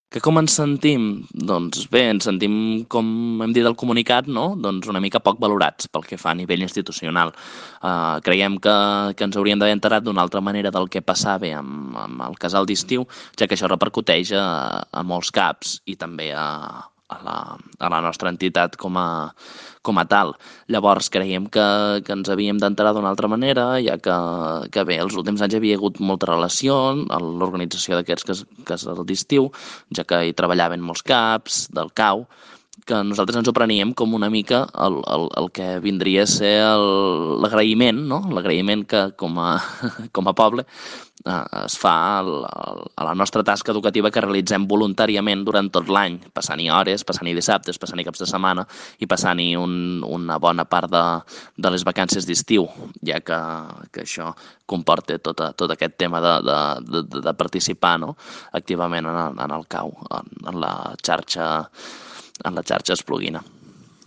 Que com ens sentim? Doncs bé, ens sentim, com hem dit al comunicat, no? Doncs una mica poc valorats pel que fa a nivell institucional. Creiem que ens hauríem d'haver enterat d'una altra manera del que passava amb el casal d'estiu, ja que això repercuteix a molts caps i també a la nostra entitat com a tal. Llavors creiem que ens havíem d'enterar d'una altra manera, ja que bé, els últims anys hi havia hagut molta relació a l'organització d'aquests casals d'estiu, ja que hi treballaven molts caps del CAU, que nosaltres ens ho preníem com una mica el que vindria a ser l'agraïment, no? L'agraïment que com a poble es fa a la nostra tasca educativa que realitzem voluntàriament durant tot l'any, passant-hi hores, passant-hi dissabtes, passant-hi caps de setmana i passant-hi una bona part de les vacances d'estiu, ja que això comporta tot aquest tema de participar, no? Activament en el CAU, en la xarxa espluguina.